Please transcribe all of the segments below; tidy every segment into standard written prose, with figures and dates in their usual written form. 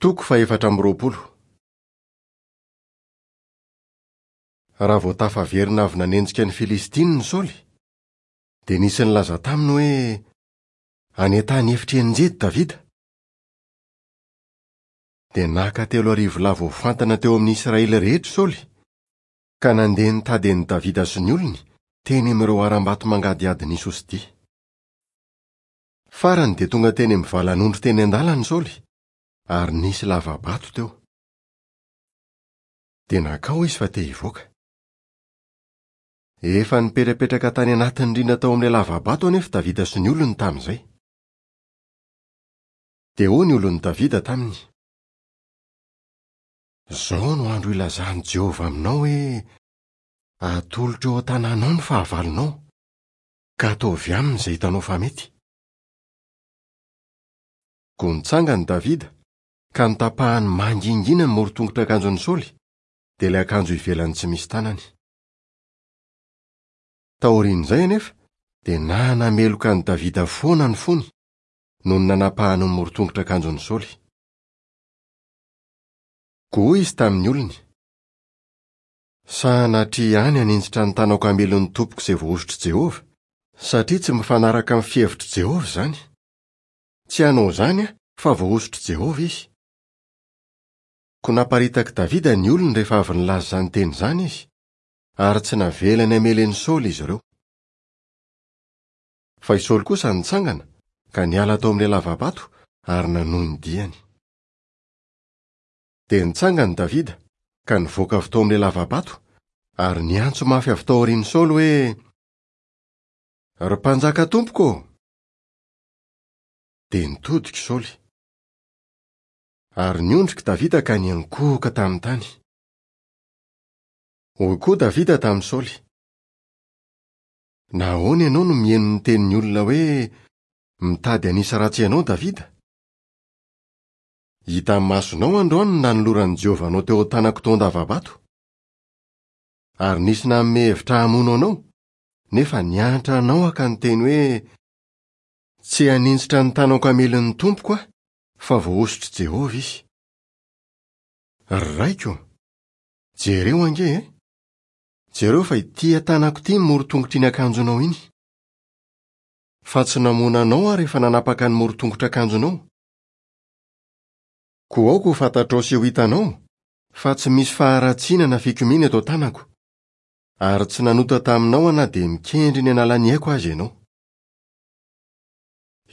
Toko fahefatra amby roapolo. Raha vao tafaverina avy nanenjika ny Filistinina i Saoly, dia nisy nilaza taminy hoe, Any an-tany efitr'i Enjedy Davida. Dia naka 3000 lahy voafantina teo amin'ny Israely rehetra i Saoly, ka nandeha nitady an'i Davida sy ny olony teny amin'ireo harambato mangadihadin'i Isosidia. Farany dia tonga teny amin'ny valan'ondry teny an-dalana i Saoly, ary nisy lava-bato teo. Dia nankao izy fa te hivoaka. Efa nipetrapetraka tany anatin'ny rindrina tao amin'ilay lava-bato anefa Davida sy ny olony tamin'izay. Dia hoy ny olon'i Davida taminy, Izao no andro hilazan'i Jehovah aminao hoe, 'Atolotro eo an-tananao ny fahavalonao, ka ataovy aminy izay hitanao fa mety. Koa nitsangana i Davida, ka notapahany mangingina ny morontongotr'akanjon'i Saoly, dia ilay akanjo ivelany tsy misy tanany. Taorian'izay anefa, dia nanameloka an'i Davida foana ny fony, noho ny nanapahany ny morontongotr'akanjon'i Saoly. Koa hoy izy tamin'ny olony, Sanatria ihany haninjitra ny tanako hamely ny tompoko izay voahosotr'i Jehovah, satria tsy mifanaraka amin'ny fihevitr'i Jehovah izany. Tsy hanao izany aho, fa voahosotr'i Jehovah izy. Koa naparitak'i Davida ny olony rehefa avy nilaza izany teny izany izy, ary tsy navelany hamely an'i Saoly izy ireo. Fa i Saoly kosa nitsangana, ka niala tao amin'ilay lava-bato ary nanohy ny diany. Dia nitsangana i Davida, ka nivoaka avy tao amin'ilay lava-bato, ary niantso mafy avy tao aorian'i Saoly hoe, Ry mpanjaka tompoko ô! Dia nitodika i Saoly. Ary niondrika i Davida ka niankohoka tamin'ny tany. Hoy koa Davida tamin'i Saoly, Nahoana ianao no mihaino ny tenin'ny olona hoe, 'Mitady hanisy ratsy anao Davida'? Hitan'ny masonao androany ny nanoloran'i Jehovah anao teo an-tanako tao an-dava-bato. Ary nisy nanome hevitra hamono anao, nefa niantra anao aho ka niteny hoe, Tsy haninjitra ny tanako hamely ny tompoko aho, fa voahosotr'i Jehovah izy. Ry raiko, jereo ange e! Jereo fa ity an-tanako ity ny morotongotr'iny akanjonao iny. Fa tsy namono anao aho rehefa nanapaka ny morotongotr'akanjonao. Koa aoka ho fantatrao sy ho hitanao fa tsy misy faharatsiana na fikomiana eto an-tanako, ary tsy nanota taminao aho na dia mikendry ny hanala ny aiko aza ianao.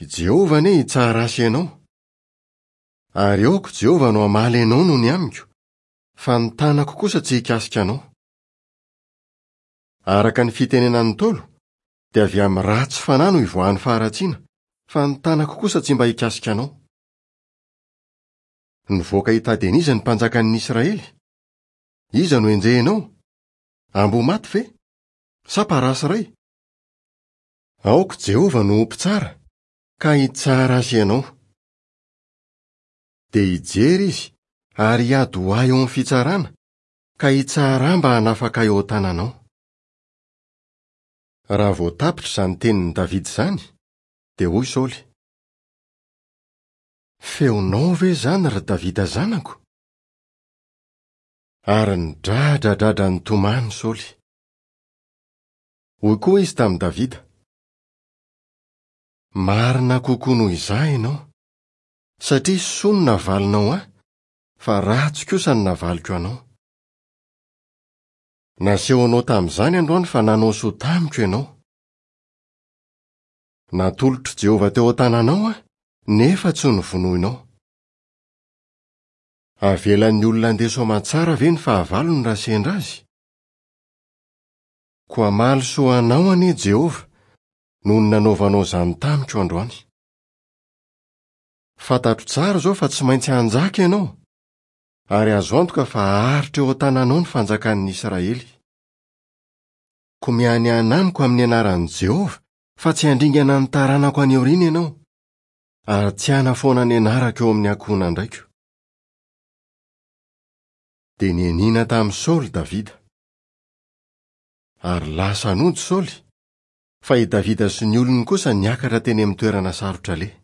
I Jehovah anie hitsara ahy sy ianao. Ary aoka Jehovah no hamaly anao noho ny amiko, fa ny tanako kosa tsy hikasika anao. Araka ny fitenenan'ny Ntaolo, dia avy amin'ny ratsy fanahy no ivoahan'ny faharatsiana, fa ny tanako kosa tsy mba hikasika anao. Nivoaka hitady an'iza ny mpanjakan'ny Israely? Iza no enjehinao? Amboa maty ve? Sa parasy iray? Aoka Jehovah no ho mpitsara, ka hitsara azy ianao. Dia hijery izy ary hiady ho ahy eo amin'ny fitsarana, ka hitsara ahy mba hanafaka ahy eo an-tananao. Raha vao tapitra izany tenin'i Davida izany, dia hoy Saoly, Feonao ve izany, ry Davida zanako? Ary nidradradradra nitomany Saoly. Hoy koa izy tamin'i Davida, Marina kokoa noho izaho ianao, satria soa no navalinao ahy, fa ratsy kosa no navaliko anao. Nasehonao tamin'izany androany fa nanao soa tamiko ianao. Natolotr'i Jehovah teo an-tananao aho, nefa tsy novonoinao. Avelan'ny olona handeha soamantsara ve ny fahavalony raha sendra azy? Koa hamaly soa anao anie Jehovah noho ny nanaovanao izany tamiko androany. Fantatro tsara izao fa tsy maintsy hanjaka ianao, ary azo antoka fa haharitra eo an-tananao ny fanjakan'ny Israely. Koa mianiana amiko amin'ny anaran'i Jehovah fa tsy handringana ny taranako any aoriana ianao, ary tsy hanafoana ny anarako eo amin'ny ankohonan-draiko. Dia nianiana tamin'i Saoly Davida. Ary lasa nody Saoly, fa i Davida sy ny olony kosa niakatra teny amin'ny toerana sarotra aleha.